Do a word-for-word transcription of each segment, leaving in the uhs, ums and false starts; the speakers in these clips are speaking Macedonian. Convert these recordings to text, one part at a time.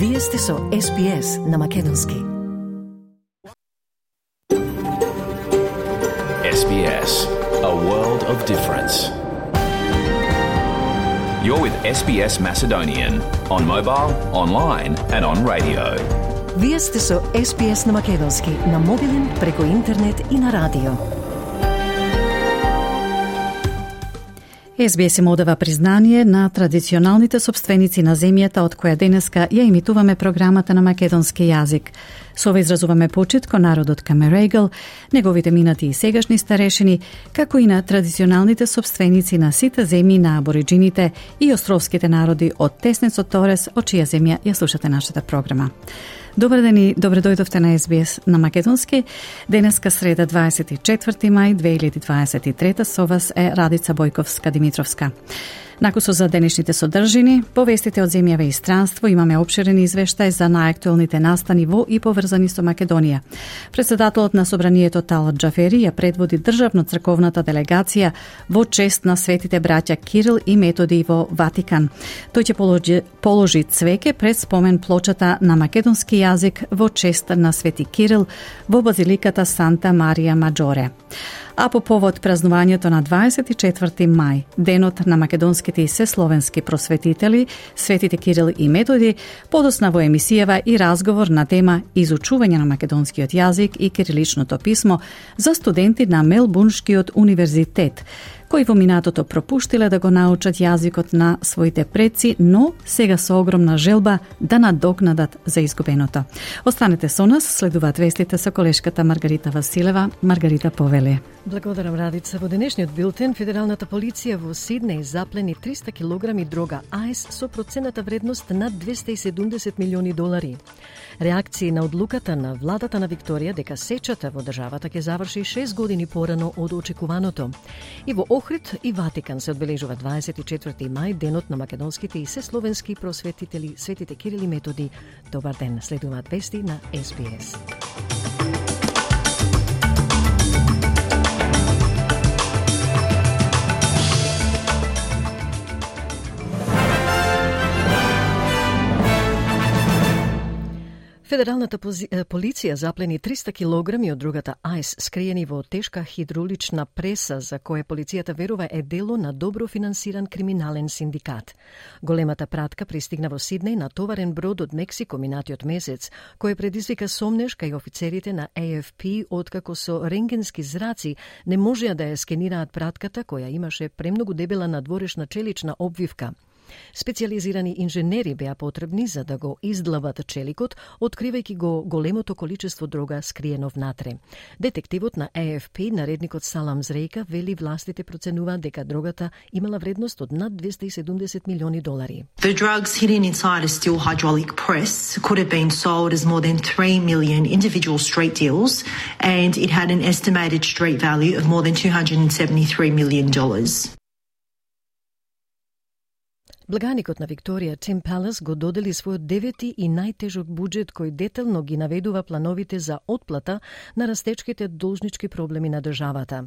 Вие сте со Ес Би Ес на Македонски. Ес Би Ес, a world of difference. You're with Ес Би Ес Macedonian on mobile, online and on radio. Вие сте со Ес Би Ес на Македонски, на мобилен, преку интернет и на радио. Ес Би Ес им одава признание на традиционалните собственици на земјата од која денеска ја имитуваме програмата на македонски јазик. Со ова изразуваме почит кон народот Камерегал, неговите минати и сегашни старешини, како и на традиционалните собственици на сите земји на абориджините и островските народи од Теснецот Торес, од чија земја ја слушате нашата програма. Добар ден и добре дојдовте на Ес Би Ес на Македонски. Денеска среда дваесет и четврти мај две илјади дваесет и трета со вас е Радица Бојковска-Димитровска. Накусо за денешните содржини, повестите од земјаве и странство, имаме опширен извештај за најактуелните настани во и поврзани со Македонија. Председателот на Собранието Талат Џафери ја предводи државно-црковната делегација во чест на светите браќа Кирил и Методи во Ватикан. Тој ќе положи, положи цвеќе пред спомен плочата на македонски јазик во чест на свети Кирил во базиликата Санта Марија Маџоре. А по повод празнувањето на дваесет и четврти мај, денот на македонските и сесловенски просветители, светите Кирил и Методи, подосна во емисијава и разговор на тема изучување на македонскиот јазик и кириличното писмо за студенти на Мелбурншкиот универзитет, кои во минатото пропуштиле да го научат јазикот на своите предци, но сега со огромна желба да надокнадат за изгубеното. Останете со нас, следуваат вестите со колешката Маргарита Василева. Маргарита, повели. Благодарам, Радица. Во денешниот билтен, федералната полиција во Сиднеј заплени триста килограми дрога ајс со процената вредност над двесте и седумдесет милиони долари. Реакции на одлуката на владата на Викторија дека сечата во државата ќе заврши шест години порано од очекуваното. И во Охрид и Ватикан се одбележува дваесет и четврти мај, денот на македонските и сесловенски просветители, светите Кирил и Методи. Добар ден, следуваат вести на Ес Би Ес. Федералната полиција заплени триста килограми од другата ајс, скриени во тешка хидравлична преса, за која полицијата верува е дело на добро финансиран криминален синдикат. Големата пратка пристигна во Сиднеј на товарен брод од Мексико минатиот месец, кој предизвика сомнеш кај офицерите на Ей Еф Пи, откако со рентгенски зраци не можеа да ја скенираат пратката, која имаше премногу дебела надворешна челична обвивка. Специализирани инженери беа потребни за да го издлават челикот, откривајќи го големото количество дрога скриено внатре. Детективот на Ей Еф Пи, наредникот Салам Зрејка, вели властите проценуваат дека дрогата имала вредност од над двесте и седумдесет милиони долари. The drugs hidden inside a steel hydraulic press could have been sold as more than three million individual street deals, and it had an estimated street value of more than two hundred seventy-three million dollars. Благаникот на Викторија, Тим Палас, го додели својот девети и најтежок буџет кој детално ги наведува плановите за отплата на растечките должнички проблеми на државата.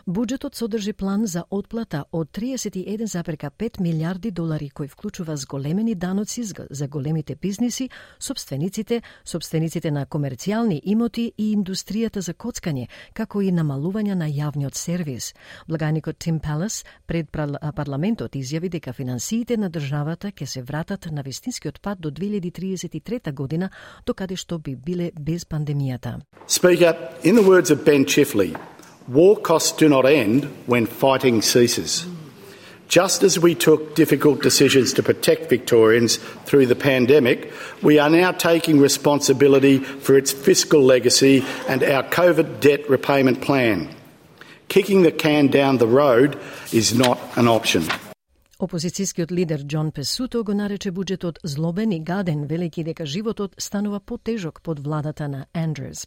Буџетот содржи план за отплата од триесет и еден зарез и пет милиарди долари, кој вклучува зголемени даноци за големите бизниси, собствениците, собствениците на комерцијални имоти и индустријата за коцкање, како и намалување на јавниот сервис. Благаникот Тим Палас пред парламентот изјави дека финансиите на државата ќе се вратат на вистинскиот пат до две илјади триесет и трета година, докаде што би биле без пандемијата. Speaker, in the words of Ben Chifley, war costs do not end when fighting ceases. Just as we took difficult decisions to protect Victorians through the pandemic, we are now taking responsibility for its fiscal legacy and our COVID debt repayment plan. Kicking the can down the road is not an option. Опозицијскиот лидер Џон Песуто го нарече буџетот злобен и гаден, велејќи дека животот станува потежок под владата на Андрюс.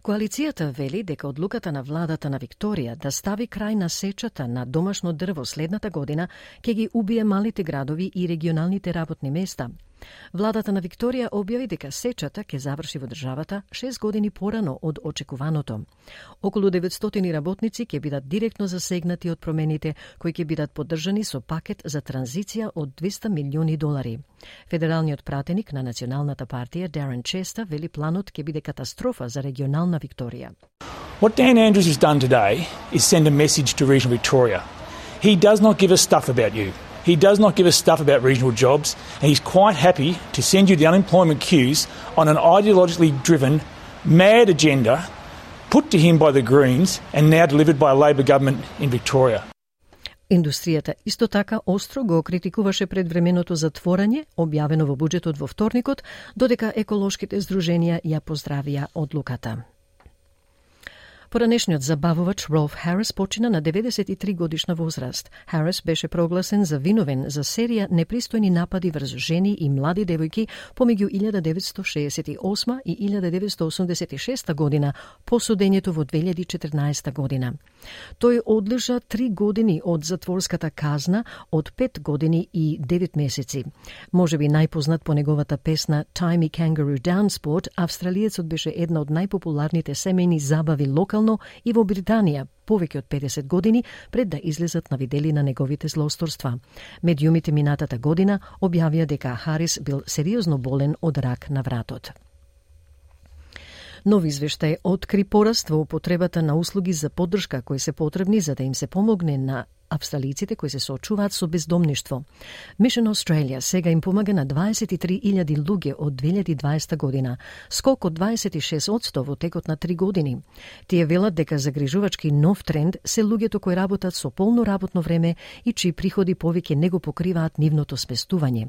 Коалицијата вели дека одлуката на владата на Викторија да стави крај на сечата на домашно дрво следната година ќе ги убие малите градови и регионалните работни места. Владата на Викторија објави дека сечата ќе заврши во државата шест години порано од очекуваното. Околу деветстотини работници ќе бидат директно засегнати од промените, кои ќе бидат поддржани со пакет за транзиција од двеста милиони долари. Федералниот пратеник на Националната партија Дарен Честа вели планот ќе биде катастрофа за регионална Викторија. What Dan Andrews has done today is send a message to regional Victoria. He does not give us stuff about you. He does not give us stuff about regional jobs, and he's quite happy to send you the unemployment queues on an ideologically driven, mad agenda put to him by the Greens and now delivered by a Labor government in Victoria. Индустријата исто така остро го критикуваше предвременото затворање, објавено во буџетот во вторникот, додека еколошките здруженија ја поздравија одлуката. Поранешниот забавувач Ролф Харис почина на деветдесет и три годишна возраст. Харис беше прогласен за виновен за серија непристојни напади врз жени и млади девојки помеѓу илјада деветстотини шеесет и осма и илјада деветстотини осумдесет и шеста година по судењето во две илјади и четрнаесета година. Тој одлежа три години од затворската казна од пет години и девет месеци. Можеби најпознат по неговата песна Tie Me Kangaroo Down Sport, австралиецот беше една од најпопуларните семејни забави локално и во Британија повеќе од педесет години пред да излезат на видели на неговите злосторства. Медиумите минатата година објавија дека Харис бил сериозно болен од рак на вратот. Нов извештај откри пораст во употребата на услуги за поддршка кои се потребни за да им се помогне на австралиците кои се соочуваат со бездомништво. Mission Australia сега им помага на дваесет и три илјади луѓе од две илјади и дваесета година, скок од дваесет и шест одсто во текот на три години. Тие велат дека загрижувачки нов тренд се луѓето кои работат со полно работно време и чии приходи повеќе не го покриваат нивното спестување.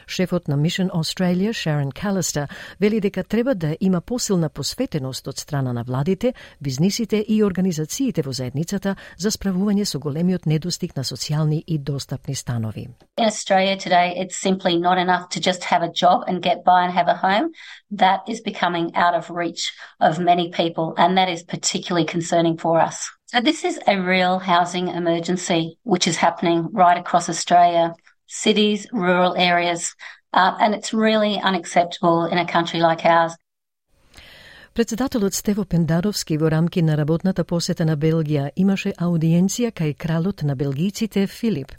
Шефот на Mission Australia, Sharon Callister, вели дека треба да има посилна посветеност од страна на владите, бизнисите и организациите во заедницата за справување со големиот недостиг на социјални и достапни станови. In Australia today, it's simply not enough to just have a job and get by and have a home. That is becoming out of reach of many people, and that is particularly concerning for us. So this is a real housing emergency which is happening right across Australia, cities, rural areas, uh, and it's really unacceptable in a country like ours. Председателот Стево Пендаровски во рамки на работната посета на Белгија имаше аудиенција кај кралот на белгијците Филип.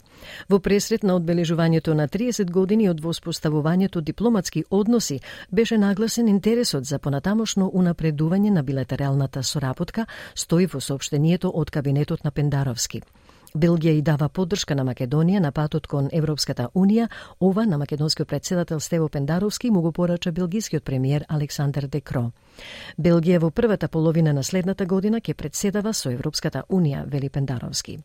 Во пресрет на одбележувањето на триесет години од воспоставувањето дипломатски односи беше нагласен интересот за понатамошно унапредување на билатералната соработка, стои во соопштението од кабинетот на Пендаровски. Белгија и дава поддршка на Македонија на патот кон Европската Унија. Ова на македонскиот председател Стево Пендаровски му го порача белгискиот премиер Александър Де Кро. Белгија во првата половина на следната година ќе председава со Европската Унија, вели Пендаровски.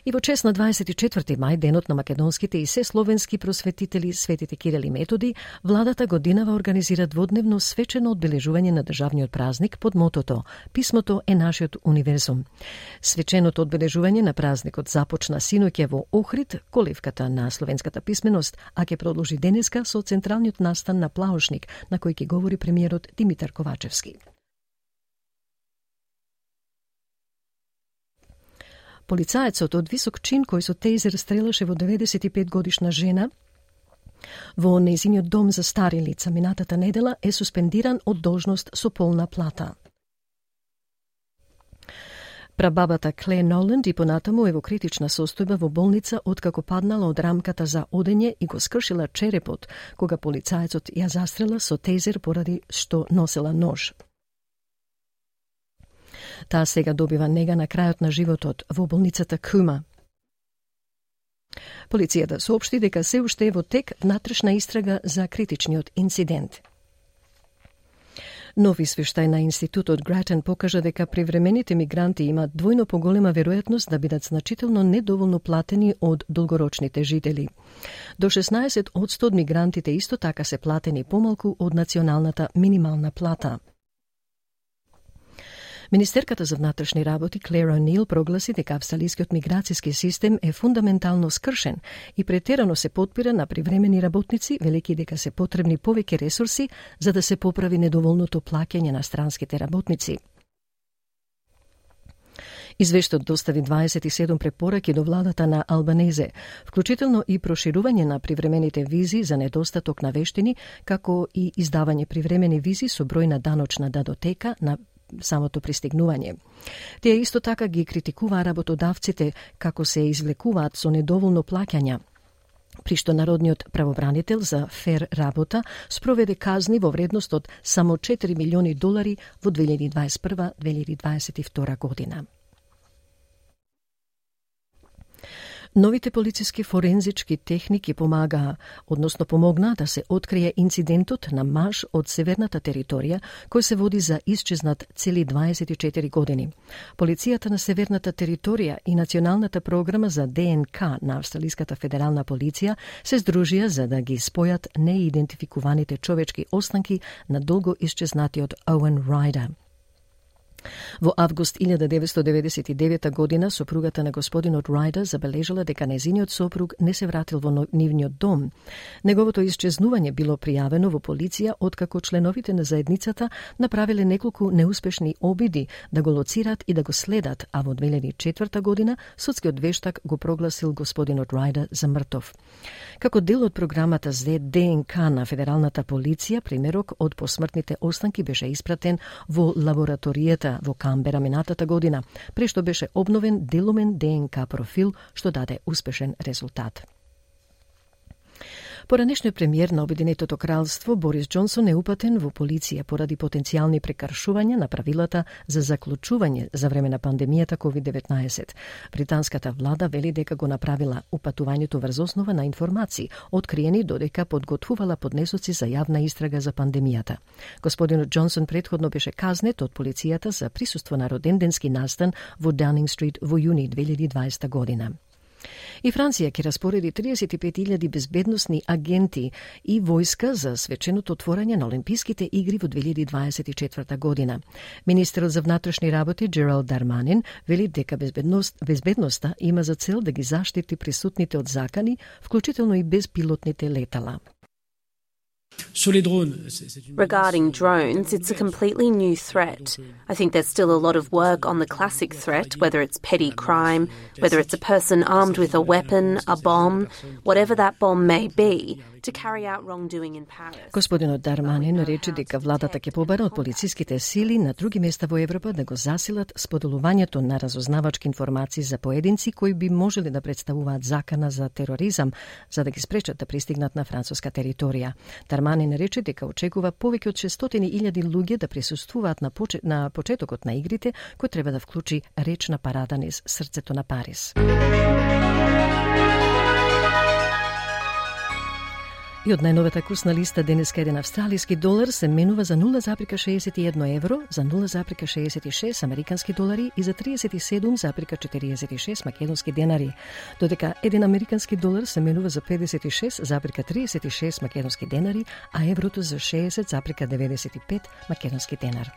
И во чест на дваесет и четврти мај, денот на македонските и се словенски просветители Светите Кирил и Методи, владата годинава организира дводневно свечено одбележување на државниот празник под мотото «Писмото е нашиот универзум». Свеченото одбележување на празникот започна синоќа во Охрид, колевката на словенската писменост, а ќе продолжи денеска со централниот настан на Плаушник, на кој ќе говори премиерот Димитар Ковачевски. Полицаецот од висок чин кој со тейзер стрелаше во деветдесет и пет годишна жена во нејзиниот дом за стари лица минатата недела е суспендиран од должност со полна плата. Прабабата Клер Ноланд и понатаму е во критична состојба во болница откако паднала од рамката за одење и го скршила черепот кога полицаецот ја застрела со тейзер поради што носела нож. Таа сега добива нега на крајот на животот во болницата Кума. Полицијата соопшти дека се уште е во тек внатрешна истрага за критичниот инцидент. Нов извештај на институтот Гратен покажа дека привремените мигранти имаат двојно поголема веројатност да бидат значително недоволно платени од долгорочните жители. До шеснаесет одсто од мигрантите исто така се платени помалку од националната минимална плата. Министерката за внатрешни работи Клер О'Нил прогласи дека австралискиот миграцијски систем е фундаментално скршен и претерано се потпира на привремени работници, велики дека се потребни повеќе ресурси за да се поправи недоволното плаќање на странските работници. Извештајот достави дваесет и седум препораки до владата на Албанезе, вклучително и проширување на привремените визи за недостаток на вештини, како и издавање привремени визи со број на даночна датотека на самото пристигнување. Тие исто така ги критикуваа работодавците како се извлекуваат со недоволно плаќања, при што народниот правобранител за фер работа спроведе казни во вредност од само четири милиони долари во две илјади дваесет и прва - две илјади дваесет и втора година. Новите полициски форензички техники помагаа, односно помогнаа да се открие инцидентот на маж од северната територија кој се води за исчезнат цели дваесет и четири години. Полицијата на северната територија и Националната програма за Д Н К на Австралиската федерална полиција се здружија за да ги спојат неидентификуваните човечки останки на долго исчезнатиот Оуен Райдер. Во август илјада деветстотини деветдесет и девета година сопругата на господинот Райдер забележала дека нејзиниот сопруг не се вратил во нивниот дом. Неговото исчезнување било пријавено во полиција откако членовите на заедницата направиле неколку неуспешни обиди да го лоцираат и да го следат, а во две илјади и четврта година судскиот вештак го прогласил господинот Райдер за мртов. Како дел од програмата за Д Н К на федералната полиција, примерок од посмртните останки беше испратен во лабораторијата во Камбера минатата година, прешто беше обновен делумен Д Н К профил, што даде успешен резултат. Поранешниот премиер на Обединетото кралство Борис Џонсон е упатен во полиција поради потенцијални прекршувања на правилата за заклучување за време на пандемијата ковид деветнаесет. Британската влада вели дека го направила упатувањето врз основа на информации, откриени додека подготвувала поднесоци за јавна истрага за пандемијата. Господинот Џонсон претходно беше казнет од полицијата за присуство на роденденски настан во Даунинг стрит во јуни две илјади и дваесета година. И Франција ќе распореди триесет и пет илјади безбедносни агенти и војска за свеченото отворање на Олимписките игри во две илјади и дваесет и четврта година. Министерот за внатрешни работи Джералд Дарманин вели дека безбедност, безбедноста има за цел да ги заштити присутните од закани, вклучително и безпилотните летала. Regarding drones, it's a completely new threat. I think there's still a lot of work on the classic threat, whether it's petty crime, whether it's a person armed with a weapon, a bomb, whatever that bomb may be, to carry out wrongdoing in Paris. Господинот Дарманин рече дека владата ќе побара од полициските сили на други места во Европа да го засилат споделувањето на разузнавачки информации за поединци кои би можели да представуваат закана за тероризам, за да ги спречат да пристигнат на француска територија. Дарманин рече дека очекува повеќе од шестстотини илјади луѓе да присуствуваат на, почет, на почетокот на игрите, кој треба да вклучи речна парада низ срцето на Париз. И од најновата курсна листа денеска еден австралиски долар се менува за нула запирка шеесет и едно евро, за нула запирка шеесет и шест американски долари и за триесет и седум запирка четириесет и шест македонски денари, додека еден американски долар се менува за педесет и шест запирка триесет и шест македонски денари, а еврото за шеесет запирка деветдесет и пет македонски денар.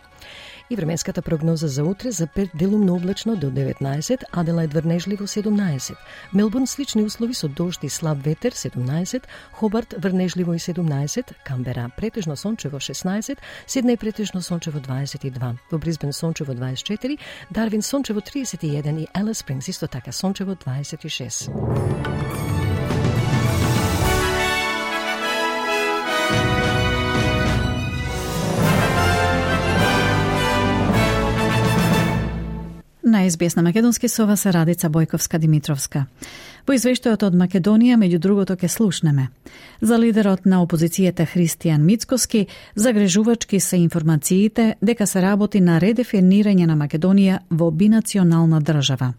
И временската прогноза за утре за Перт делумно облачно до деветнаесет, Аделајд врнежливо седумнаесет, Мелбурн слични услови со дожд и слаб ветер седумнаесет, Хобарт врнежливо и седумнаесет, Камбера претежно сончево шеснаесет, Сиднеј претежно сончево дваесет и два, во Брисбен сончево дваесет и четири, Дарвин сончево триесет и еден и Алис Спрингс исто така сончево дваесет и шест. На Ес Би Ес на македонски со вас Радица Бојковска-Димитровска. Во извештајот од Македонија, меѓу другото, ке слушнеме за лидерот на опозицијата Христијан Мицкоски, загрежувачки се информациите дека се работи на редефинирање на Македонија во бинационална држава.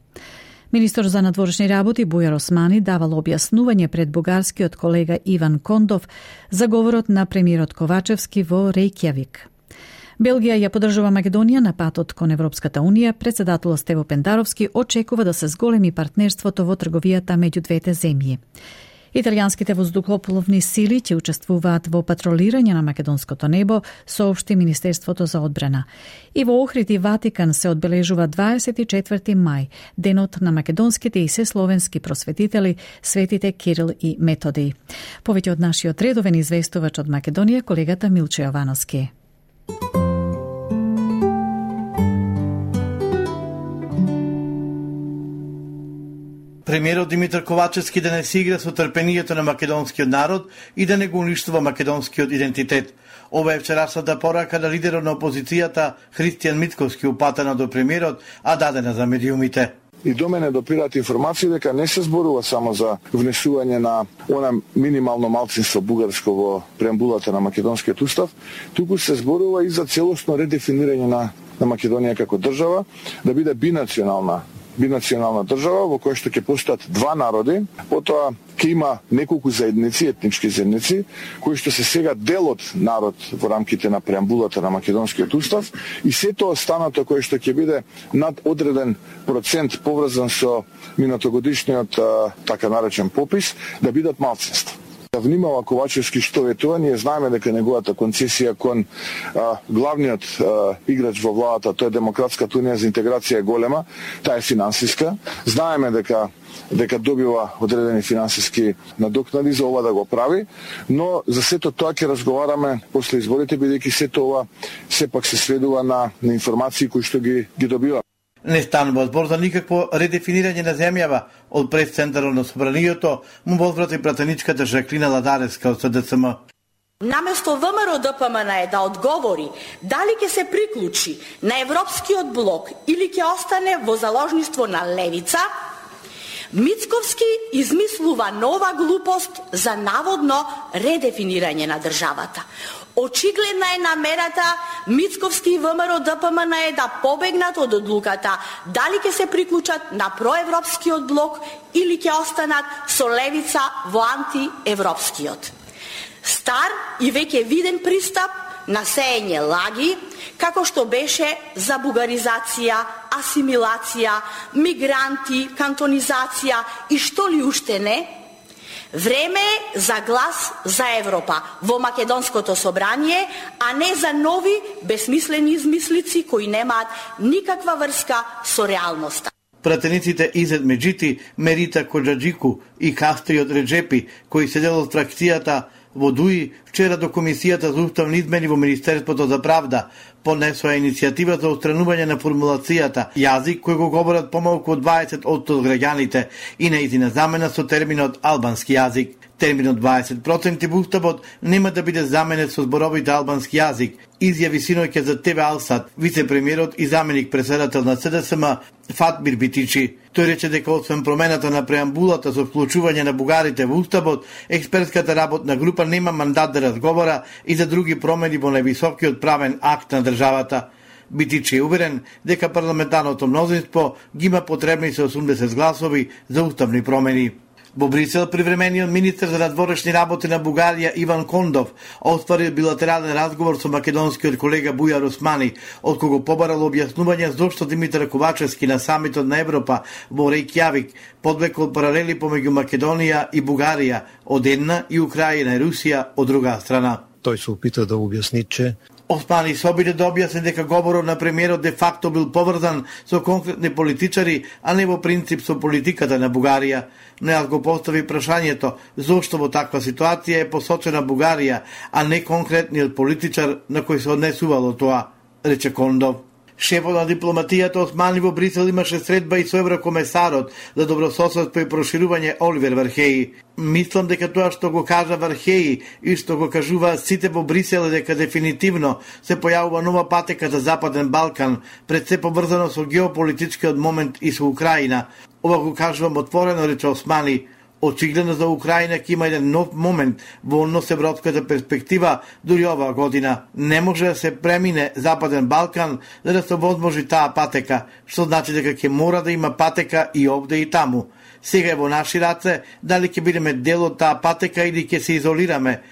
Министор за надворешни работи Бујар Османи давал објаснување пред бугарскиот колега Иван Кондов за говорот на премиерот Ковачевски во Рејкјавик. Белгија ја поддржува Македонија на патот кон Европската Унија. Председателот Стево Пендаровски очекува да се зголеми партнерството во трговијата меѓу двете земји. Италијанските воздухопловни сили ќе учествуваат во патролирање на македонското небо, соопшти Министерството за одбрана. И во Охрид и Ватикан се одбележува дваесет и четврти мај, денот на македонските и сесловенски просветители, светите Кирил и Методий. Повеќе од нашиот редовен известувач од Македонија, колегата Милче Јовановски. Премиерот Димитар Ковачевски да не си игра со трпението на македонскиот народ и да не го уништува македонскиот идентитет. Ова е вчерашната порака на лидерот на опозицијата Христијан Мицковски, упатена до премиерот, а дадена за медиумите. И до мене допираат информации дека не се зборува само за внесување на она минимално малцинство бугарско во преамбулата на македонскиот устав, туку се зборува и за целосно редефинирање на, на Македонија како држава, да биде бинационална бинационална држава во која што ќе постојат два народи, потоа ќе има неколку заедници, етнички заедници, кои што се сега дел од народ во рамките на преамбулата на македонскиот устав, и сето останато кое што ќе биде над одреден процент поврзан со минатогодишниот така наречен попис, да бидат малцинства. Да внимава Ковачевски што ветува, ние знаеме дека неговата концесија кон а, главниот а, играч во владата, тоа е Демократската унија за интеграција, е голема, таа е финансиска. Знаеме дека дека добива одредени финансиски надокнади за ова да го прави, но за сето тоа ќе разговараме после изборите, бидејќи сето ова сепак се сведува на, на информации кои што ги, ги добива. Не станува збор за никакво редефинирање на земјава од пресцентарот на собранието, му возврати пратеничката Жаклина Ладареска од С Д С М. Наместо ВМРО Д П М Н е да одговори дали ќе се приклучи на Европскиот блок или ќе остане во заложништво на левица, Мицковски измислува нова глупост за наводно редефинирање на државата. Очигледна е намерата Мицковски и ВМРО Д П М Н е да побегнат од одлуката дали ќе се приклучат на проевропскиот блок или ќе останат со левица во антиевропскиот. Стар и веќе виден пристап на сеење лаги, како што беше за бугаризација, асимилација, мигранти, кантонизација и што ли уште не. Време е за глас за Европа во Македонското собрание, а не за нови безсмислени измислици кои немаат никаква врска со реалноста. Пратениците Изет Меджити, Мерита Коджаджику и Кастриот Реджепи, кои се дел од фракцијата во Дуи, вчера до Комисијата за уставни измени во Министерството за правда понесоа иницијатива за отстранување на формулацијата јазик кој го говорат помалку од дваесет одсто од граѓаните и нејзина замена со терминот албански јазик. Терминот дваесет проценти во уставот нема да биде заменет со зборовите албански јазик, изјави синоќа за Т В Алсат вице-премиерот и заменик председател на С Д С М Фатмир Битичи. Тој рече дека освен промената на преамбулата со вклучување на бугарите во уставот, експертската работна група нема мандат да разговара и за други промени во највисокиот правен акт на државата. Битичи е уверен дека парламентарното мнозинство ги има потребни се осумдесет гласови за уставни промени. Во Брисел, привремениот министер за надворешни работи на Бугарија Иван Кондов оствари билатерален разговор со македонскиот колега Бујар Османи, од кого побарал објаснување зошто Димитар Ковачевски на самитот на Европа во Рејкјавик подвекол паралели помеѓу Македонија и Бугарија од една и Украина и Русија од друга страна. Тој се опита да објасни, че Османи се обиде да објасни дека говорот на премиерот де факто бил поврзан со конкретни политичари, а не во принцип со политиката на Бугарија. Но јас го постави прашањето зошто во таква ситуација е посочена Бугарија, а не конкретниот политичар на кој се однесувало тоа, рече Кондов. Шефот на дипломатијата Османи во Брисел имаше средба и со еврокомесарот за добрососедство и проширување Оливер Вархеи. Мислам дека тоа што го кажа Вархеи и што го кажуваат сите во Брисел е дека дефинитивно се појавува нова патека за Западен Балкан, пред се поврзано со геополитичкиот момент и со Украина. Ова го кажувам отворено, рече Османи. Очигледно за Украина ќе има еден нов момент во однос европската перспектива дури оваа година. Не може да се премине Западен Балкан за да се возможи таа патека, што значи дека ќе мора да има патека и овде и таму. Сега е во наши раце дали ќе бидеме дел од таа патека или ќе се изолираме.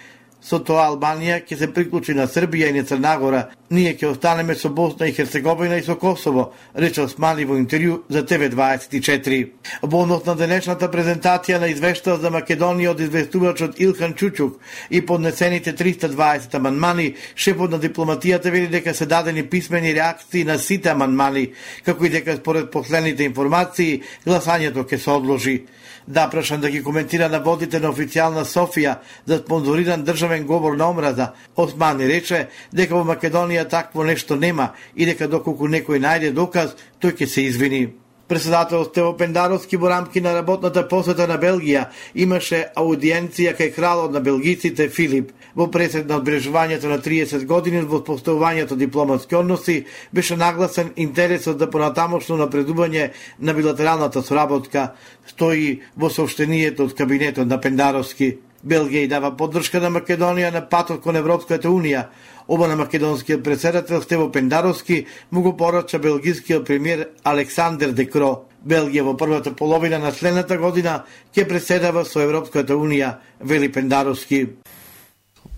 Со тоа Албанија ќе се приклучи на Србија и на Црна Гора. Ние ќе останеме со Босна и Херцеговина и со Косово, рече Османи во интервју за Т В дваесет и четири. Во однос на денешната презентација на извештаот за Македонија од известувачот Илхан Чучук и поднесените триста дваесет амандмани, шефот на дипломатијата вели дека се дадени писмени реакции на сите амандмани, како и дека според последните информации гласањето ќе се одложи. Да, прашан да ги коментира наводите на официјална Софија за спонзориран државен говор на омраза, Османи рече дека во Македонија такво нешто нема и дека доколку некој најде доказ, тој ќе се извини. Председател Стево Пендаровски во рамки на работната посета на Белгија имаше аудиенција кај кралот на белгиците Филип. Во пресед на одбележувањето на триесет години во постојувањето дипломатски односи беше нагласен интересот за понатамошно напредување на билатералната соработка, стои во соопштението од кабинетот на Пендаровски. Белгија и дава поддршка на Македонија на патот кон Европската унија. Оба на македонскиот председател Стево Пендаровски му го порача белгискиот премиер Александер Декро. Белгија во првата половина на следната година ќе преседава со Европската унија, вели Пендаровски.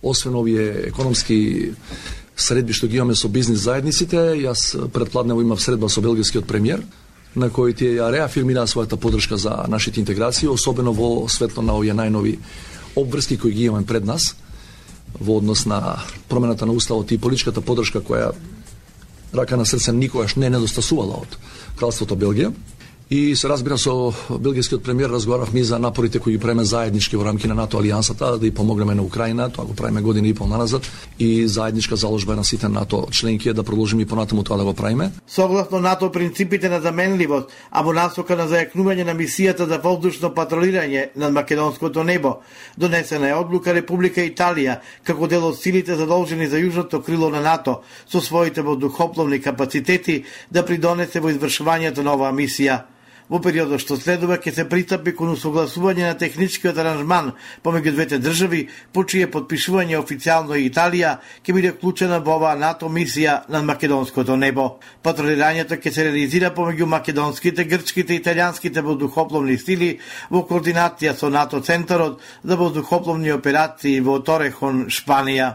Освен овие економски средби што ги имаме со бизнис заедниците, јас предпладнево имав средба со белгискиот премиер, на кој тие ја реафирмира својата поддршка за нашите интеграции, особено во светло на овие најнови обврски кои ги имаме пред нас во однос на промената на уставот и политичката поддршка која рака на срце никогаш не недостасувала од Кралството Белгија. И се разбира со белгискиот премиер разговаравме за напорите кои ги правиме заеднички во рамки на НАТО алијансата да ја помогнеме на Украина, тоа го правиме година и пол наназад, и заедничка заложба на сите НАТО членки да продолжиме и понатаму тоа да го правиме. Согласно НАТО принципите на заменливост, а во насока на зајакнување на мисијата за воздушно патролирање над македонското небо, донесена е одлука Република Италија како дел од силите задолжени за јужното крило на НАТО со своите воздухопловни капацитети да придонесе во извршувањето на оваа мисија. Во периодот што следува ќе се пристапи кон усогласување на техничкиот аранжман помеѓу двете држави, по чие потпишување официјално и Италија ќе биде вклучена во оваа НАТО мисија над македонското небо. Патролирањето ќе се реализира помеѓу македонските, грчките и италијанските воздухопловни сили во координација со НАТО центарот за воздухопловни операции во Торехон, Шпанија.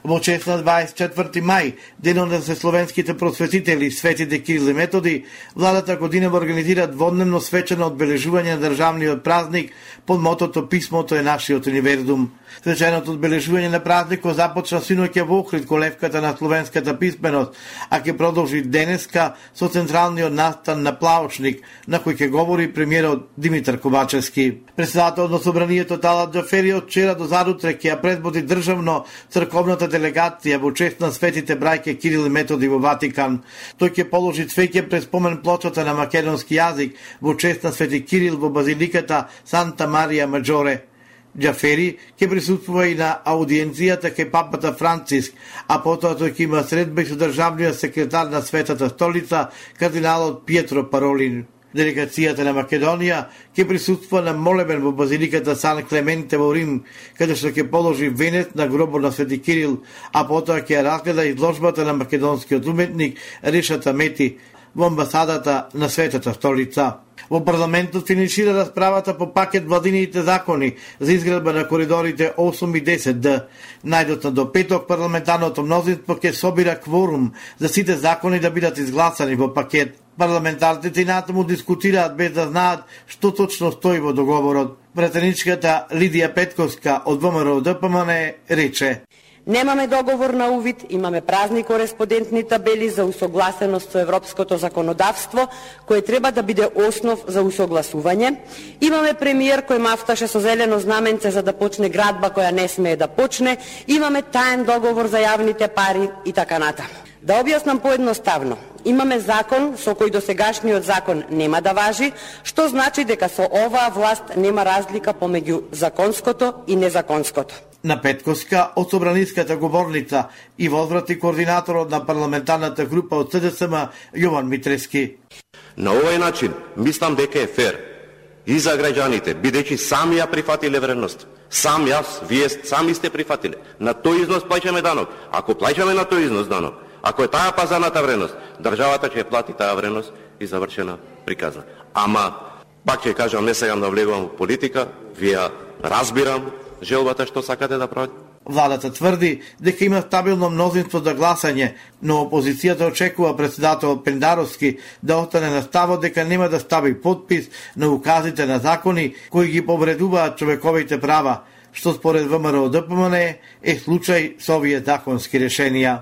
Во чест на дваесет и четврти мај, денот на се словенските просветители светите Кирил и Методи, владата годинава организира дводневно свечено одбележување на државниот празник под мотото Писмото е нашиот универзум. Свеченото одбележување на празникот започна синоќа во Охрид, колевката на словенската писменост, а ќе продолжи денеска со централниот настан на Плаочник, на кој ќе говори премиерот Димитар Ковачевски. Председателот на собранието Талат Џафери од вчера до задутре ќе ја предводи државно црковната делегација во чест на светите браќа Кирил и Методи во Ватикан. Тој ќе положи цвеќе пред спомен плочата на македонски јазик во чест на свети Кирил во базиликата Санта Марија Маџоре. Џафери ќе присуствува и на аудиенцијата кај папата Франциск, а потоа тој ќе има средба и со државниот секретар на Светата столица, кардиналот Пиетро Паролин. Делегацијата на Македонија ќе присуствува на молебен во базиликата Сан Клементе во Рим, каде што ќе положи венец на гробот на свети Кирил, а потоа ќе разгледа изложбата на македонскиот уметник Решата Мети во амбасадата на Светата столица. Во парламентот финишира расправата по пакет владините закони за изградба на коридорите осум и десет Д. Најдоцна до петок парламентарното мнозинство ќе собира кворум за сите закони да бидат изгласани во пакет. Парламентарците и натаму дискутираат без да знаат што точно стои во договорот. Пратеничката Лидија Петковска од ВМРО Д П М Н рече: Немаме договор на увид, имаме празни кореспондентни табели за усогласеност со европското законодавство, кое треба да биде основ за усогласување. Имаме премиер кој мафташе со зелено знаменце за да почне градба која не смее да почне. Имаме таен договор за јавните пари и така натаму. Да објаснам поедноставно. Имаме закон со кој досегашниот закон нема да важи, што значи дека со оваа власт нема разлика помеѓу законското и незаконското. На Петковска од собраниската говорница и возврати координаторот на парламентарната група од С Д С М Јован Митрески. На овој начин мислам дека е фер и за граѓаните, бидејќи сами ја прифатиле вредност. Сам јас, вие сами сте прифатиле. На тој износ плаќаме данок. Ако плаќаме на тој износ данок, ако е таа пазарната вредност, државата ќе плати таа вредност и завршена приказна. Ама, пак ќе кажам, не сакам да влегувам во политика, вие разбирам желбата што сакате да правите. Владата тврди дека има стабилно мнозинство за гласање, но опозицијата очекува председател Пендаровски да остане на ставот дека нема да стави подпис на указите на закони кои ги повредуваат човековите права, што според ВМРО Д П М Н е случај со овие законски решенија.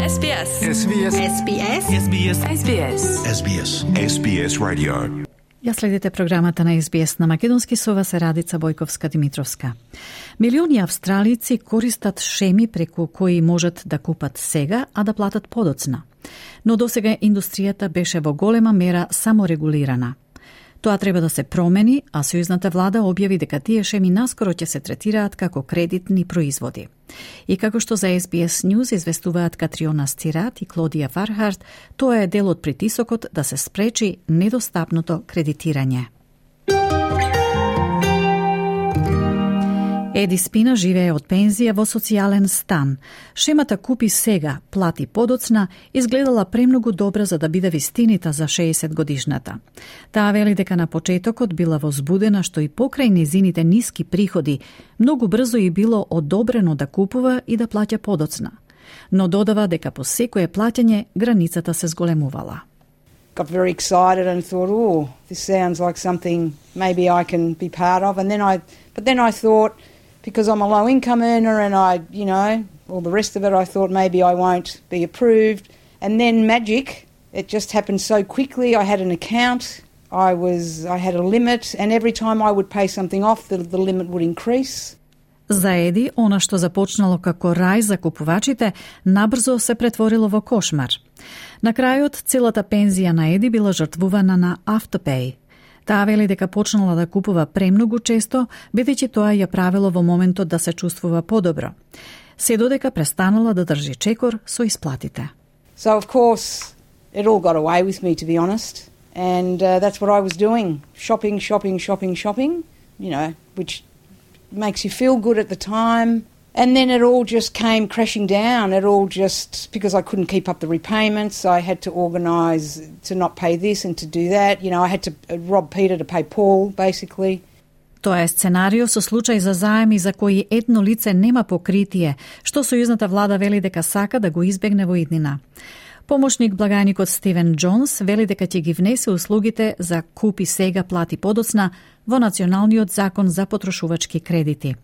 Ес Би Ес. Ес Би Ес. Ес Би Ес. Ес Би Ес. Ес Би Ес. Ес Би Ес Radio. Ја следите програмата на Ес Би Ес на македонски, со вас е Радица Бојковска-Димитровска. Милиони австралици користат шеми преку кои можат да купат сега, а да платат подоцна. Но досега индустријата беше во голема мера саморегулирана. Тоа треба да се промени, а сојузната влада објави дека тие шеми наскоро ќе се третираат како кредитни производи. И како што за Ес Би Ес News известуваат Катриона Стират и Клодија Фархарт, тоа е дел од притисокот да се спречи недостапното кредитирање. Еди Спина живее од пензија во социјален стан. Шемата купи сега, плати подоцна, изгледала премногу добра за да биде вистинита за шеесет годишната. Таа вели дека на почетокот била возбудена што и покрај незините ниски приходи, многу брзо и било одобрено да купува и да плаќа подоцна. Но додава дека по секое плаќање границата се зголемувала. Got very excited and thought, oh, this sounds like something maybe I can be part of. And then I, but then I thought, because I'm a low income earner and I, you know, all the rest of it, I thought maybe I won't be approved. And then magic, it just happened so quickly. I had an account, I was, I had a limit, and every time I would pay something off, the, the limit would increase. За Еди, она што започнало како рај за купувачите, набрзо се претворило во кошмар. На крајот, целата пензија на Еди била жртвувана на автопеј. Таа вели дека почнала да купува премногу често, бидејќи тоа ја правило во моментот да се чувствува подобро. Се додека престанала да држи чекор со исплатите. So of course, it all got away with me, to be honest. And uh, that's what I was doing. Shopping, shopping, shopping, shopping, you know, which makes you feel good at the time. And then it all just came crashing down. It all just, because I couldn't keep up the repayments, I had to organise to not pay this and to do that. You know, I had to rob Peter to pay Paul, basically. Тоа е сценарио со случај за заеми за кои едно лице нема покритие, што сојузната влада вели дека сака да го избегне во иднина. Помошник благајникот Стивен Джонс вели дека ќе ги внесе услугите за купи сега, плати подоцна во Националниот закон за потрошувачки кредити.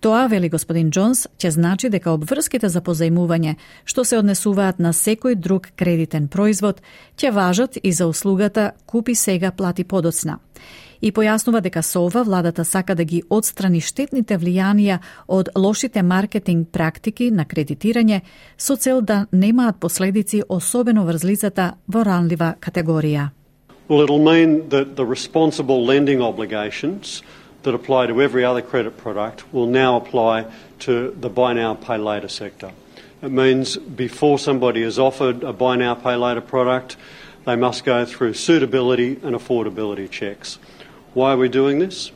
Тоа, вели господин Джонс, ќе значи дека обврските за позајмување, што се однесуваат на секој друг кредитен производ, ќе важат и за услугата купи сега, плати подоцна. И појаснува дека со ова владата сака да ги отстрани штетните влијанија од лошите маркетинг практики на кредитирање со цел да немаат последици, особено врз лицата во ранлива категорија. Well, it'll mean that the responsible lending obligations that apply to every other credit product will now apply to the buy now, pay later sector. It means before somebody is offered a buy now, pay later product, they must go through suitability and affordability checks. Why are we doing this?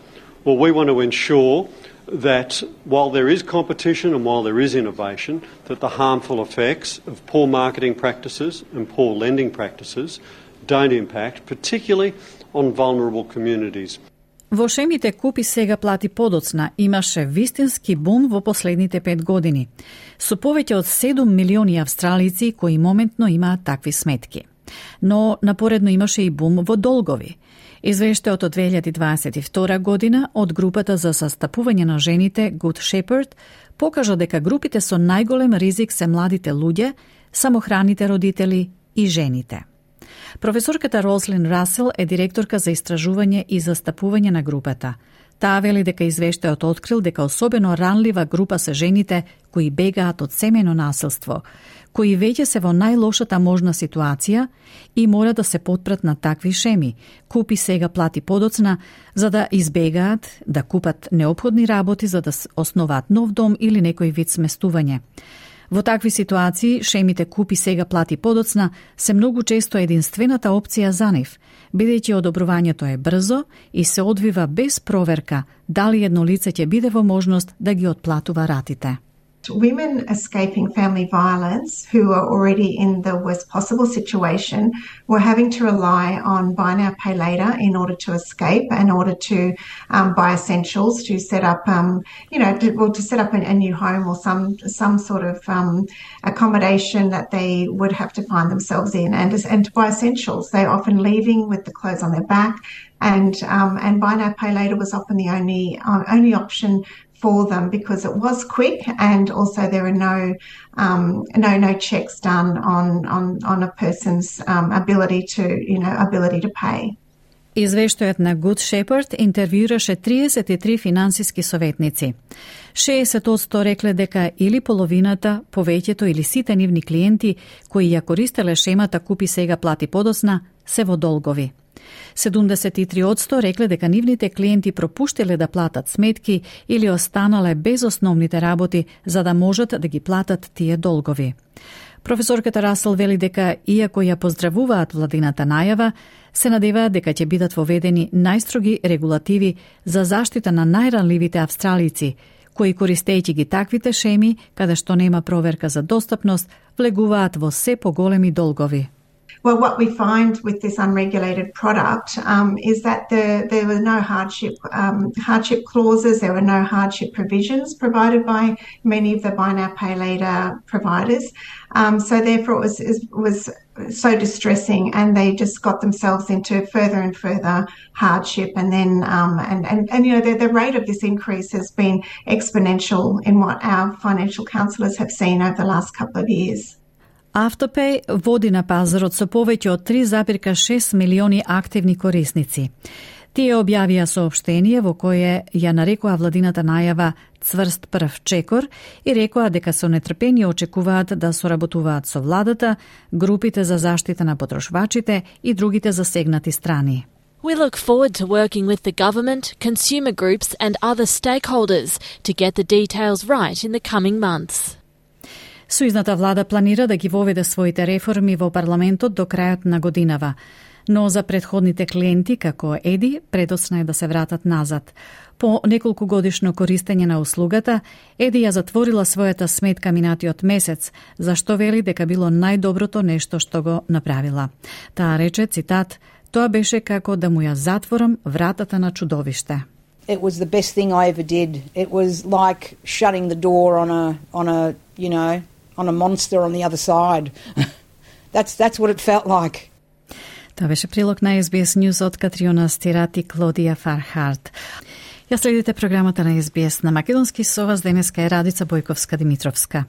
Well, we want to ensure that while there is competition and while there is innovation, that the harmful effects of poor marketing practices and poor lending practices don't impact, particularly on vulnerable communities. Во шемите купи сега, плати подоцна имаше вистински бум во последните пет години, со повеќе од седум милиони австралици кои моментно имаат такви сметки. Но напоредно имаше и бум во долгови. Извештајот од две илјади дваесет и втора година од групата за застапување на жените Good Shepherd покажа дека групите со најголем ризик се младите луѓе, самохраните родители и жените. Професорката Рослин Расел е директорка за истражување и застапување на групата. Таа вели дека извештајот открил дека особено ранлива група се жените кои бегаат од семејно насилство, кои веќе се во најлошата можна ситуација и мора да се потпрат на такви шеми. Купи сега, плати подоцна, за да избегаат да купат неопходни работи за да основаат нов дом или некој вид сместување. Во такви ситуации, шемите купи сега, плати подоцна се многу често единствената опција за нив, бидејќи одобрувањето е брзо и се одвива без проверка дали едно лице ќе биде во можност да ги отплатува ратите. Women escaping family violence who are already in the worst possible situation were having to rely on buy now, pay later in order to escape, in order to um, buy essentials, to set up, um, you know, to, well, to set up a, a new home or some some sort of um, accommodation that they would have to find themselves in, and and to buy essentials. They're often leaving with the clothes on their back, and um, and buy now, pay later was often the only uh, only option for them because it was quick, and also there are no um, no no checks done on on on a person's um, ability to you know ability to pay. Извештајот на Good Shepherd интервјуираше триесет и три финансиски советници. шеесет одсто рекле дека или половината, повеќето или сите нивни клиенти кои ја користеле шемата Купи сега, плати подоцна, се во долгови. седумдесет и три одсто рекле дека нивните клиенти пропуштиле да платат сметки или останале без основните работи за да можат да ги платат тие долгови. Професорката Расел вели дека, иако ја поздравуваат владината најава, се надеваат дека ќе бидат воведени најстроги регулативи за заштита на најранливите австралици, кои користејќи ги таквите шеми, каде што нема проверка за достапност, влегуваат во се поголеми долгови. Well, what we find with this unregulated product um, is that the, there were no hardship um, hardship clauses, there were no hardship provisions provided by many of the buy now, pay later providers. Um, so therefore it was, it was so distressing, and they just got themselves into further and further hardship. And then, um, and, and, and you know, the, the rate of this increase has been exponential in what our financial counsellors have seen over the last couple of years. Afterpay води на пазарот со повеќе од три запирка шест милиони активни корисници. Тие објавија соопштение во кое ја нарекоа владината најава цврст прв чекор и рекоа дека со нетрпение очекуваат да соработуваат со владата, групите за заштита на потрошвачите и другите засегнати страни. We look forward to working with the government, consumer groups and other stakeholders to get the details right in the coming months. Сојузната влада планира да ги воведе своите реформи во парламентот до крајот на годинава, но за претходните клиенти, како Еди, предоцна е да се вратат назад. По неколку годишно користење на услугата, Еди ја затворила својата сметка минатиот месец, зашто вели дека било најдоброто нешто што го направила. Таа рече, цитат, тоа беше како да му ја затворам вратата на чудовиште. It was the best thing I ever did. It was like shutting the door on a on a, you know, on a monster on the other side. that's that's what it felt like. Тоа беше прилог на Ес Би Ес News од Катриона Стират и Клодија Фархарт. Ја следите програмата на Ес Би Ес на македонски, со вас денеска е Радица Бојковска-Димитровска.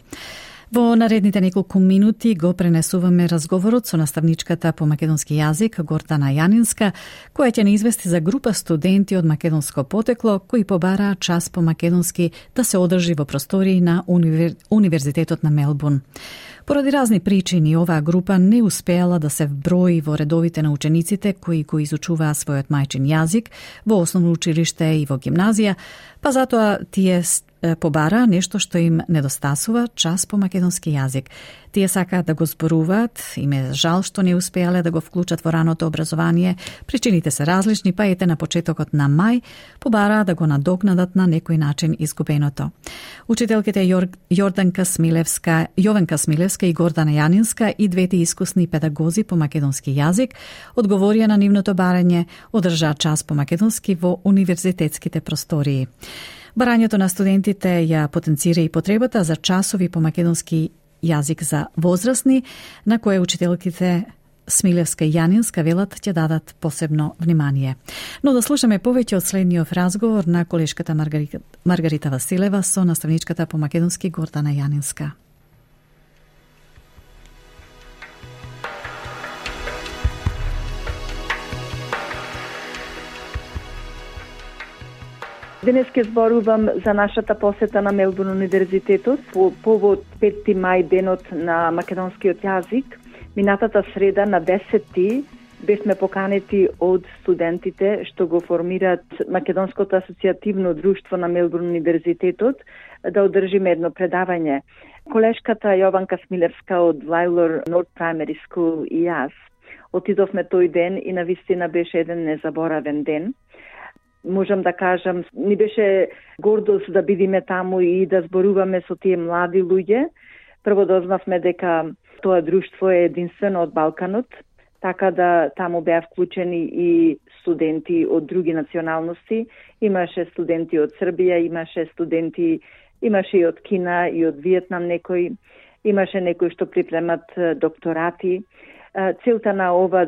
Во наредните неколку минути го пренесуваме разговорот со наставничката по македонски јазик Гордана Јанинска, која ќе не извести за група студенти од македонско потекло кои побараа час по македонски да се одржи во простории на универ... Универзитетот на Мелбурн. Поради разни причини, оваа група не успеала да се вброи во редовите на учениците кои го изучуваа својот мајчин јазик во основно училиште и во гимназија, па затоа тие побара нешто што им недостасува, час по македонски јазик. Тие сакаат да го зборуваат, им е жал што не успеале да го вклучат во раното образование, причините се различни, па ете на почетокот на мај побараа да го надокнадат на некој начин изгубеното. Учителките Јор... Јорданка Смилевска, Јовенка Смилевска и Гордана Јанинска и двете искусни педагози по македонски јазик одговорија на нивното барање, одржаа час по македонски во универзитетските простории. Барањето на студентите ја потенцира и потребата за часови по македонски јазик за возрастни, на кое учителките Смилевска и Јанинска велат ќе дадат посебно внимание. Но да слушаме повеќе од следниот разговор на колешката Маргарита, Маргарита Василева со наставничката по македонски Гордана Јанинска. Денес ке зборувам за нашата посета на Мелбурн универзитетот по повод петти мај, денот на македонскиот јазик. Минатата среда на десети бевме поканети од студентите што го формираат Македонското асоцијативно друштво на Мелбурн универзитетот да одржиме едно предавање. Колешката Јованка Смилевска од Вајлор North Primary School и јас отидовме тој ден и навистина беше еден незаборавен ден. Можам да кажам, ни беше гордост да бидиме таму и да зборуваме со тие млади луѓе. Прво дознавме дека тоа друштво е единствено од Балканот, така да таму беа вклучени и студенти од други националности. Имаше студенти од Србија, имаше студенти, имаше и од Кина и од Виетнам некои, имаше некои што припремат докторати. Целта на ова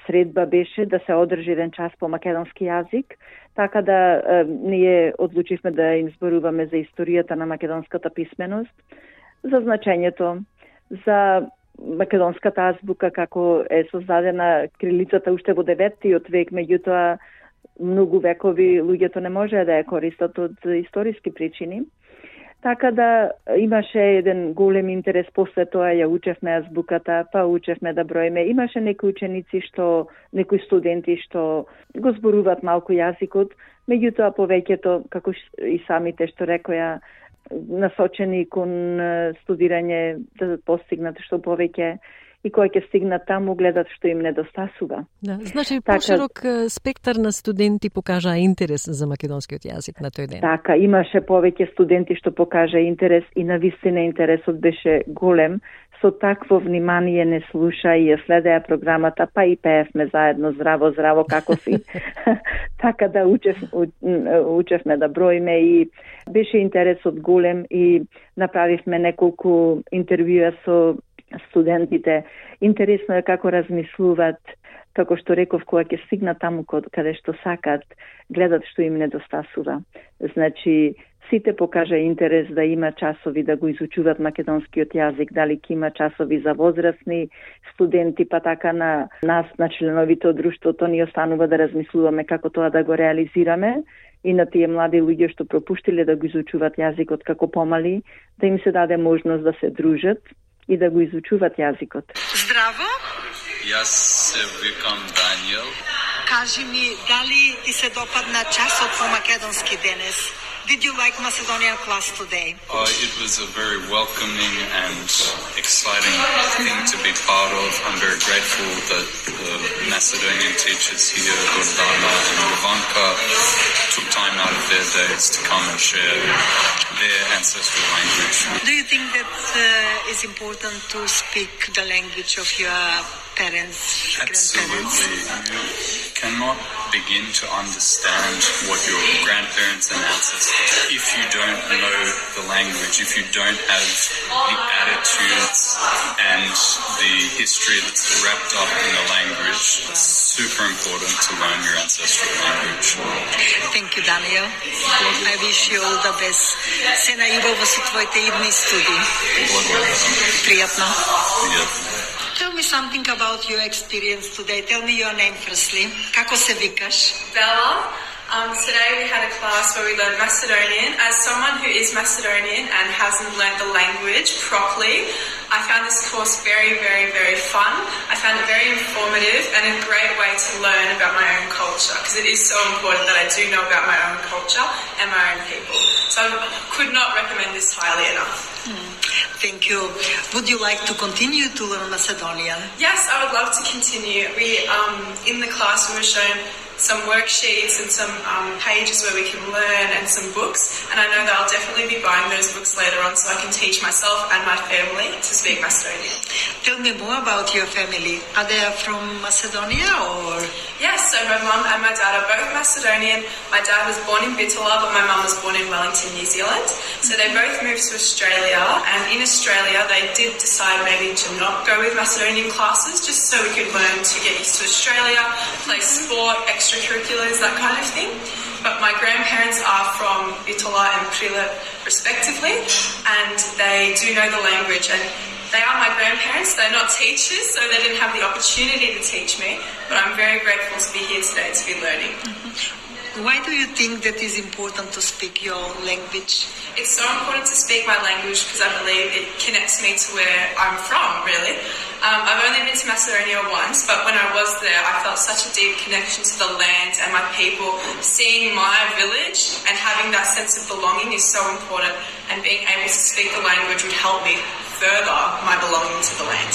средба беше да се одржи еден час по македонски јазик, така да е, ние одлучивме да им зборуваме за историјата на македонската писменост, за значењето, за македонската азбука како е создадена крилицата уште во деветиот век, меѓутоа многу векови луѓето не можеа да ја користат од историски причини. Така да имаше еден голем интерес, после тоа ја учевме азбуката, па учевме да броиме. Имаше некои ученици што, некои студенти што го зборуваат малку јазикот, меѓутоа повеќето, како и самите што рекоја, насочени кон студирање да постигнат што повеќе и кои ќе стигнат таму гледат што им недостасува. Да, значи така, поширок спектар на студенти покажа интерес за македонскиот јазик на тој ден. Така, имаше повеќе студенти што покажа интерес и навистина интересот беше голем. Со такво внимание не слуша и ја следеа програмата, па и пеевме заедно здраво, здраво како си. Така да учев, учевме да броиме и беше интересот голем и направивме неколку интервјуа со студентите. Интересно е како размислуваат, како што реков, кога ќе стигнат таму каде што сакат, гледат што им недостасува. Значи, сите покажа интерес да има часови да го изучуваат македонскиот јазик, дали ќе има часови за возрастни студенти, па така на нас, на членовите од друштвото, ни останува да размислуваме како тоа да го реализираме и на тие млади луѓе што пропуштиле да го изучуваат јазикот како помали, да им се даде можност да се дружат и да го изучуваат јазикот. Здраво! Јас се викам Даниел. Кажи ми, дали ти се допадна часот по македонски денес? Did you like Macedonian class today? Uh, it was a very welcoming and exciting thing to be part of. I'm very grateful that the Macedonian teachers here, Gordana and Ivanka, took time out of their days to come and share their ancestral language. Do you think that uh, it's important to speak the language of your parents, grandparents? Absolutely. You cannot begin to understand what your grandparents and ancestors, if you don't know the language, if you don't have the attitudes and the history that's wrapped up in the language, it's super important to learn your ancestral language. Thank you, Daniel. I wish you all the best. Се најубаво со твоите идни студии. Пријатно. Tell me something about your experience today. Tell me your name firstly. Како се викаш? Bella. Um, today we had a class where we learned Macedonian. As someone who is Macedonian and hasn't learned the language properly, I found this course very, very, very fun. I found it very informative and a great way to learn about my own culture, because it is so important that I do know about my own culture and my own people. So I could not recommend this highly enough. Mm. Thank you. Would you like to continue to learn Macedonian? Yes, I would love to continue. We, um, in the class, we were shown some worksheets and some um, pages where we can learn and some books, and I know that I'll definitely be buying those books later on so I can teach myself and my family to speak Macedonian. Tell me more about your family. Are they from Macedonia or? Yes, so my mum and my dad are both Macedonian. My dad was born in Bitola, but my mum was born in Wellington, New Zealand. So they both moved to Australia, and in Australia they did decide maybe to not go with Macedonian classes, just so we could learn to get used to Australia, play sport, extracurriculars, that kind of thing. But my grandparents are from Bitola and Prilep respectively, and they do know the language, and they are my grandparents. They're not teachers, so they didn't have the opportunity to teach me, but I'm very grateful to be here today to be learning. Mm-hmm. Why do you think that is important to speak your language? It's so important to speak my language because I believe it connects me to where I'm from, really. Um, I've only been to Macedonia once, but when I was there, I felt such a deep connection to the land and my people. Seeing my village and having that sense of belonging is so important, and being able to speak the language would help me further my belonging to the land.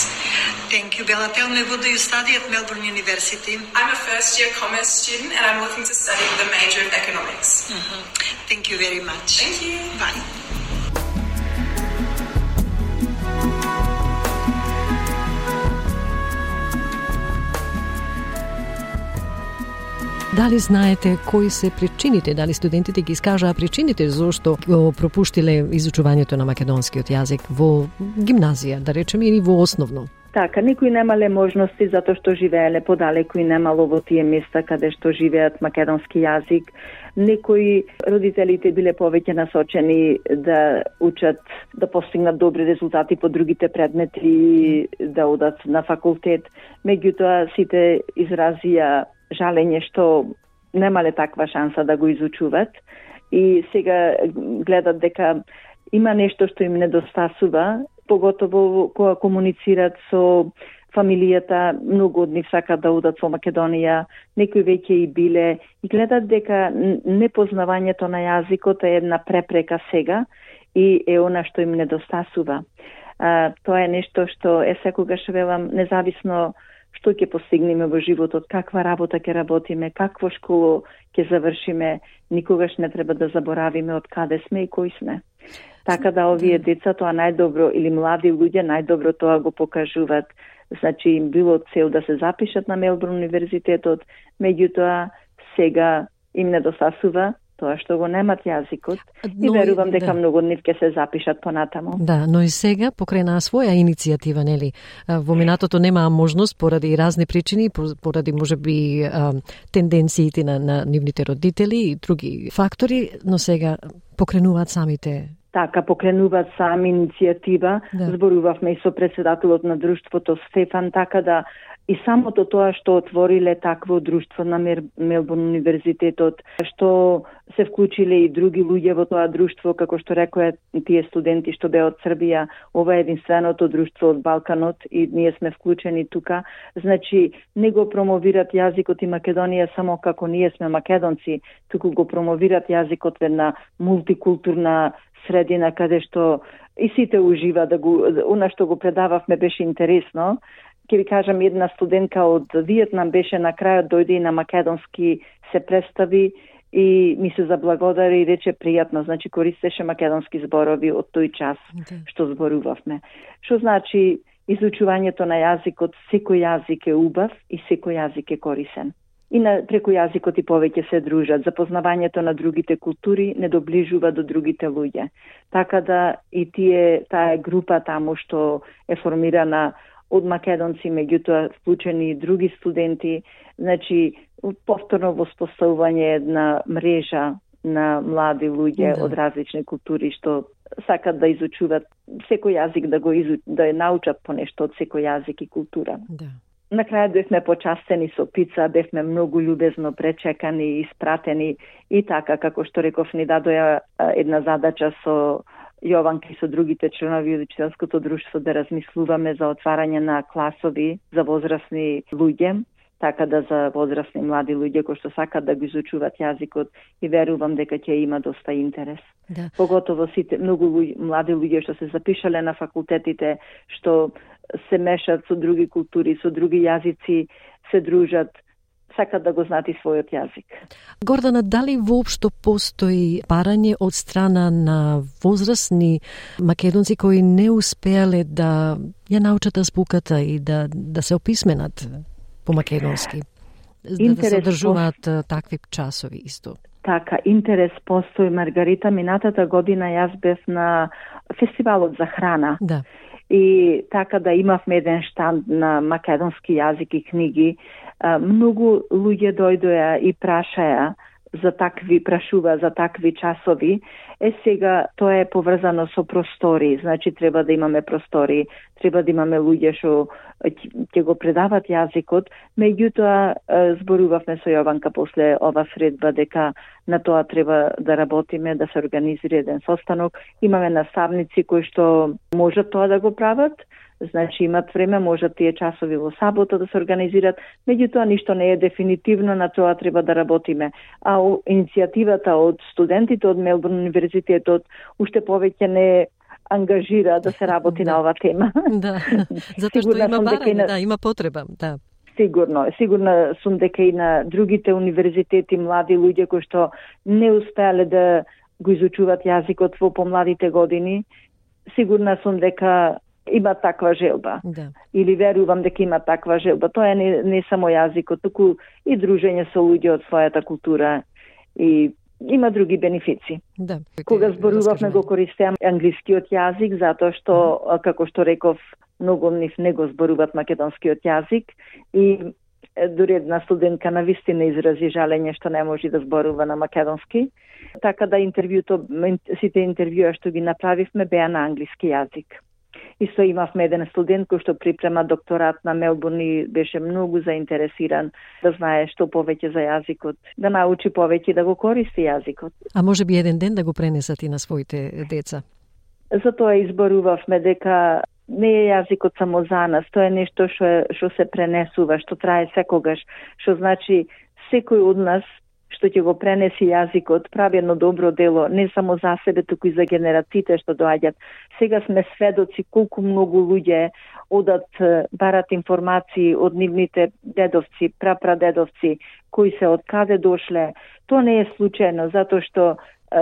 Thank you, Bella. Tell me, what do you study at Melbourne University? I'm a first year commerce student and I'm looking to study the major of economics. Mm-hmm. Thank you very much. Thank you. Bye. Дали знаете кои се причините, дали студентите ги искажаа причините зошто го пропуштиле изучувањето на македонскиот јазик во гимназија, да речеме, или во основно? Така, некои немале можности затоа што живееле подалеку и немало во тие места каде што живеат македонски јазик. Некои родителите биле повеќе насочени да учат, да постигнат добри резултати по другите предмети, да одат на факултет. Меѓутоа сите изразија жалење што немале таква шанса да го изучуват и сега гледат дека има нешто што им недостасува, поготово кога комуницират со фамилијата, многу од нив сакаат да одат во Македонија, некои веќе и биле и гледат дека непознавањето на јазикот е една препрека сега и е она што им недостасува. А, тоа е нешто што е секогаш велам, независно што ќе постигнеме во животот, каква работа ќе работиме, какво школо ќе завршиме, никогаш не треба да заборавиме од каде сме и кои сме. Така да овие деца тоа најдобро или млади луѓе најдобро тоа го покажуваат. Значи им било цел да се запишат на Мелбурн универзитетот, меѓутоа сега им недостасува тоа што го немат јазикот но, и верувам дека да. многу од нив ќе се запишат понатаму. Да, но и сега покрај своја иницијатива, нели? Во минатото немаа можност поради разни причини, поради можеби тенденциите на, на нивните родители и други фактори, но сега покренуваат самите. Така, покренуваат сами иницијатива. Да. Зборувавме и со председателот на друштвото Стефан, така да и самото тоа што отвориле такво друштво на Мелбурн универзитетот, што се вклучиле и други луѓе во тоа друштво, како што рекоа тие студенти што беа од Србија, ова е единственото друштво од Балканот и ние сме вклучени тука. Значи, не го промовират јазикот и Македонија само како ние сме македонци, туку го промовират јазикот во една мултикултурна средина каде што и сите ужива да го, она што го предававме беше интересно. Ке ви кажам, една студентка од Виетнам беше на крајот, дојде и на македонски се представи и ми се заблагодари и рече пријатно, значи користеше македонски зборови од тој час okay. што зборувавме. Што значи изучувањето на јазикот, секој јазик е убав и секој јазик е корисен. И на, преку јазикот и повеќе се дружат. Запознавањето на другите култури не доближува до другите луѓе. Така да и тие, таа група таму што е формирана од македонци, меѓутоа вклучени и други студенти, значи повторно воспоставување една мрежа на млади луѓе да. од различни култури што сакат да изучуваат секој јазик, да го изу... да ја научат по нешто од секој јазик и култура. Да. На крај бевме почастени со пица, бевме многу љубезно пречекани и испратени и така, како што реков, ни дадоја една задача со Јованка и со другите членови од учителското друштво да размислуваме за отварање на класови за возрастни луѓе, така да за возрастни млади луѓе кои што сакат да го изучуваат јазикот и верувам дека ќе има доста интерес. Да. Поготово сите многу луѓе, млади луѓе што се запишале на факултетите, што се мешат со други култури, со други јазици, се дружат, сакат да го знаат и својот јазик. Гордана, дали воопшто постои барање од страна на возрастни македонци кои не успеале да ја научат азбуката и да, да се описменат по македонски? Да, да се одржуваат такви часови исто? Така, интерес постои, Маргарита. Минатата година јас бев на фестивалот за храна. Да. И така да имавме еден штанд на македонски јазик и книги. Многу луѓе дојдоа и прашаја за такви, прашува за такви часови. Е сега тоа е поврзано со простори, значи треба да имаме простори, треба да имаме луѓе што ќе го предават јазикот, меѓутоа зборувавме со Јованка после ова средба дека на тоа треба да работиме, да се организира еден состанок. Имаме наставници кои што можат тоа да го прават, значи имат време, можат тие часови во сабота да се организират, меѓутоа ништо не е дефинитивно, на тоа треба да работиме. А иницијативата од студентите од Мелбурн универзитетот уште повеќе не ангажира да се работи да. на ова тема. Да, затоа што има барање, на... да, има потреба, да. Сигурно, сигурно сум дека и на другите универзитети млади луѓе кои што не успеале да го изучуваат јазикот во помладите години, сигурна сум дека има таква желба. Да. Или верувам дека има таква желба. Тоа е не, не само јазикот, туку и дружење со луѓе од својата култура и има други бенефици. Да. Кога зборувавме го користеам англискиот јазик, затоа што, како што реков, многу од нив не го зборуваат македонскиот јазик и дури една студентка на вистина изрази жалење што не може да зборува на македонски. Така да интервјуто, сите интервјуа што ги направивме беа на англиски јазик. Исто имавме еден студент кој што припрема докторат на Мелбурн и беше многу заинтересиран да знае што повеќе за јазикот, да научи повеќе да го користи јазикот. А може би еден ден да го пренесат и на своите деца? Затоа изборувавме дека не е јазикот само за нас, тоа е нешто што што се пренесува, што трае секогаш, што значи секој од нас што ќе го пренеси јазикот, прави едно добро дело, не само за себе, туку и за генерациите што доаѓаат. Сега сме сведоци колку многу луѓе одат, барат информации од нивните дедовци, прапрадедовци, кои се од каде дошле. Тоа не е случајно, затоа што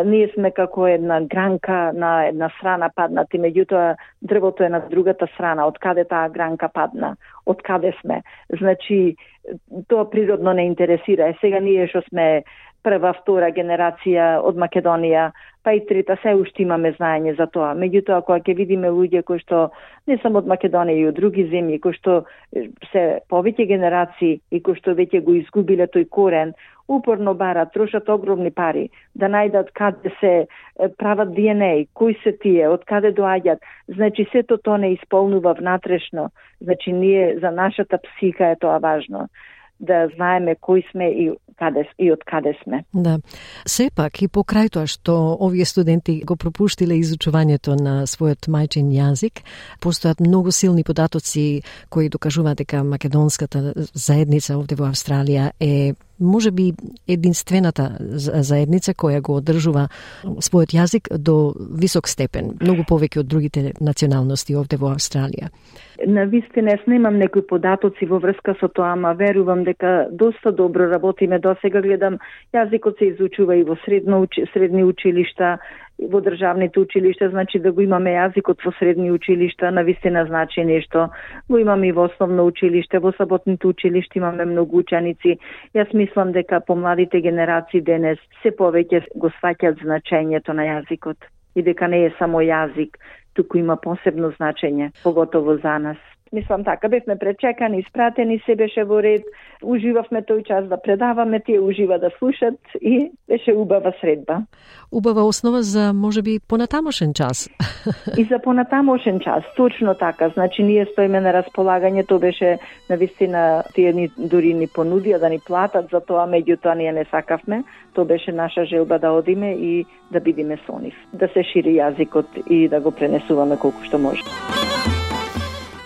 ние сме како една гранка на една страна паднати, меѓутоа дрвото е на другата страна, од каде таа гранка падна, од каде сме. Значи, тоа природно не интересира. Е, сега ние што сме прва, втора генерација од Македонија, па и трета, се уште имаме знаење за тоа. Меѓутоа, кога ќе видиме луѓе кои што не само од Македонија и од други земји, кои што се повеќе генерации и кои што веќе го изгубиле тој корен, упорно барат, трошат огромни пари да најдат каде се прават Ди Ен Еј, кои се тие, од каде доаѓаат. Значи, сето тоа не исполнува внатрешно. Значи, ние за нашата психика е тоа важно, да знаеме кои сме и каде и од каде сме. Да. Сепак и покрај тоа што овие студенти го пропуштиле изучувањето на својот мајчин јазик, постојат многу силни податоци кои докажуваат дека македонската заедница овде во Австралија е може би единствената заедница која го одржува својот јазик до висок степен, многу повеќе од другите националности овде во Австралија. На вистина, јас немам некои податоци во врска со тоа, ама верувам дека доста добро работиме. До сега гледам, јазикот се изучува и во средно, средни училишта, во државните училишта, значи да го имаме јазикот во средни училишта, на вистина значи нешто. Го имаме и во основно училиште, во саботните училишта имаме многу ученици. Јас мислам дека помладите генерации денес се повеќе го сваќаат значењето на јазикот и дека не е само јазик, туку има посебно значење, поготово за нас. Мислам така, бевме пречекани, испратени, се беше во ред, уживавме тој час да предаваме, тие ужива да слушат и беше убава средба. Убава основа за, може би, понатамошен час. И за понатамошен час, точно така. Значи, ние стоиме на располагање, тоа беше, навистина, тие ни дури ни понудија да ни платат за тоа, меѓутоа ние не сакавме. Тоа беше наша желба да одиме и да бидиме со нив, да се шири јазикот и да го пренесуваме колку што може.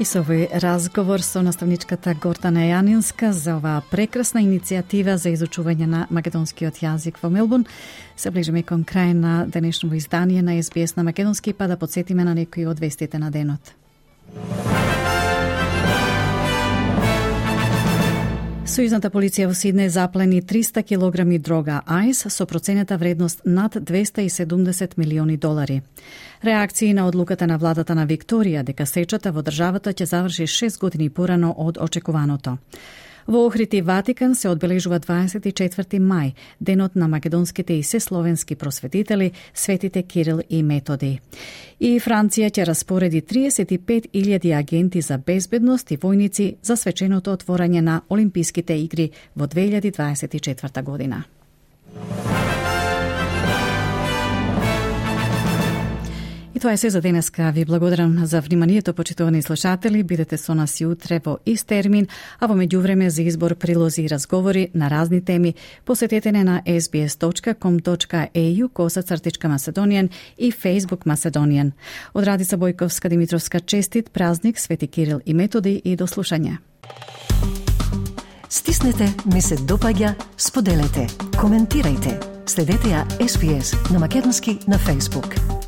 И со овој разговор со наставничката Гордана Јанинска за оваа прекрасна иницијатива за изучување на македонскиот јазик во Мелбурн, се ближиме кон крај на денешното издание на Ес Би Ес на македонски, па да подсетиме на некои од вестите на денот. Сојузната полиција во Сиднеј заплени триста килограми дрога ајс со проценета вредност над двесте и седумдесет милиони долари. Реакции на одлуката на владата на Викторија дека сечата во државата ќе заврши шест години порано од очекуваното. Во Охрид Ватикан се одбележува дваесет и четврти мај, денот на македонските и сесловенски просветители, светите Кирил и Методи. И Франција ќе распореди триесет и пет илјади агенти за безбедност и војници за свеченото отворање на Олимписките игри во две илјади дваесет и четврта година. И тоа е се за денеска. Ви благодарам за вниманието, почитувани слушатели. Бидете со нас и утре во ист термин, а во меѓувреме за избор прилози и разговори на разни теми посетете не на ес би ес точка ком точка е ю коса цртичка Macedonian и Facebook Macedonian. Од Радица Бојковска Димитровска честит празник Свети Кирил и Методи и до слушање. Стиснете, ми се допаѓа, споделете, коментирајте. Следете ја Ес Би Ес на македонски на Facebook.